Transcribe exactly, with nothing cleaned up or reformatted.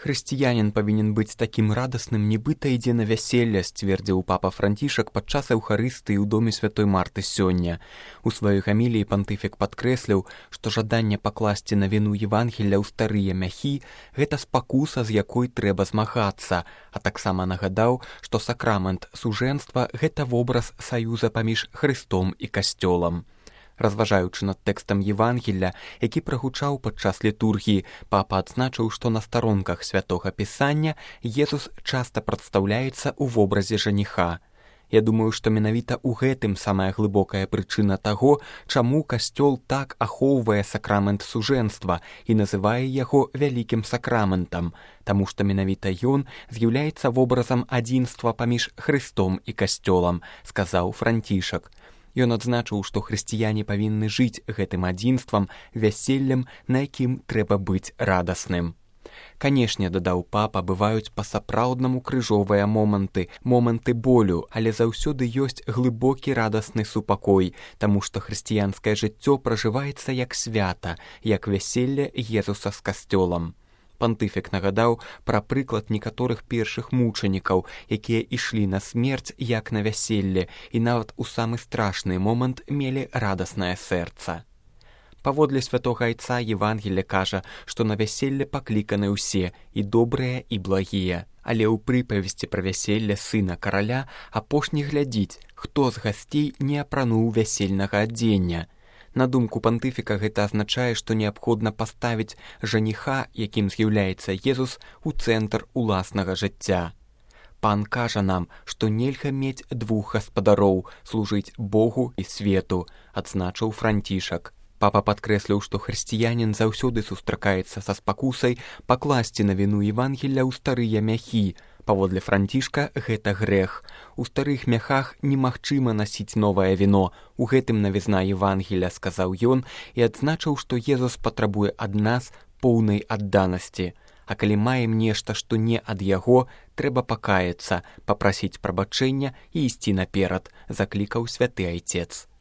Хрысціянін павінен быць такім радасным, нібыта ідзе на вяселле, сцвердзіў папа Францішак падчас эўхарыстыі ў доме святой Марты сёння. У сваёй гаміліі пантыфік падкрэсліў, што жаданне пакласці на віну Евангелля ў старыя мяхі – гэта спакуса, з якой трэба змагацца, а таксама нагадаў, што сакрамент сужэнства – гэта вобраз саюза паміж Хрыстом і Касцёлам. Разважаючы над тэкстам Евангелля, які прагучаў падчас літургіі, папа адзначыў, што на старонках святога пісання Езус часта прадстаўляецца ў вобразе жаніха. Я думаю, што менавіта ў гэтым самая глыбокая прычына таго, чаму Касцёл так ахоўвае сакрамент сужэнства і называе яго вялікім сакраментам, таму што менавіта ён з'яўляецца вобразам адзінства паміж Хрыстом і Касцёлам, сказаў Францішак. Ён адзначыў, што хрысціяне павінны жыць гэтым адзінствам, вяселлем, на якім трэба быць радасным. Канешне, дадаў папа, бываюць па-сапраўднаму крыжовыя моманты, моманты болю, але заўсёды ёсць глыбокі радасны супакой, таму што хрысціянскае жыццё пражываецца як свята, як вяселле Езуса з Касцёлам. Пантыфік нагадаў пра прыклад некаторых першых мучанікаў, якія ішлі на смерць як на вяселле і нават у самы страшны момант мелі радаснае сэрца. Паводле святога айца Евангелле кажа, што на вяселле пакліканы ўсе, і добрыя, і благія. Але ў прыпавесці пра вяселле сына караля апошні глядзіць, хто з гасцей не апрануў вясельнага адзення. На думку пантыфіка, гэта азначае, што неабходна паставіць жаніха, якім з'яўляецца Езус, у цэнтр уласнага жыцця. Пан кажа нам, што нельга мець двух гаспадароў, служыць Богу і свету, адзначыў Францішак. Папа падкрэсліў, што хрысціянін заўсёды сустракаецца са спакусай пакласці на віну Евангелля ў старыя мяхі. Паводле Францішка, гэта грэх. У старых мяхах немагчыма насіць новае віно. У гэтым навізна Евангелля, сказаў ён, і адзначыў, што Езус патрабуе ад нас поўнай адданасці. А калі маем нешта, што не ад яго, трэба пакаяцца, папрасіць прабачэння і ісці наперад, заклікаў святы айцец.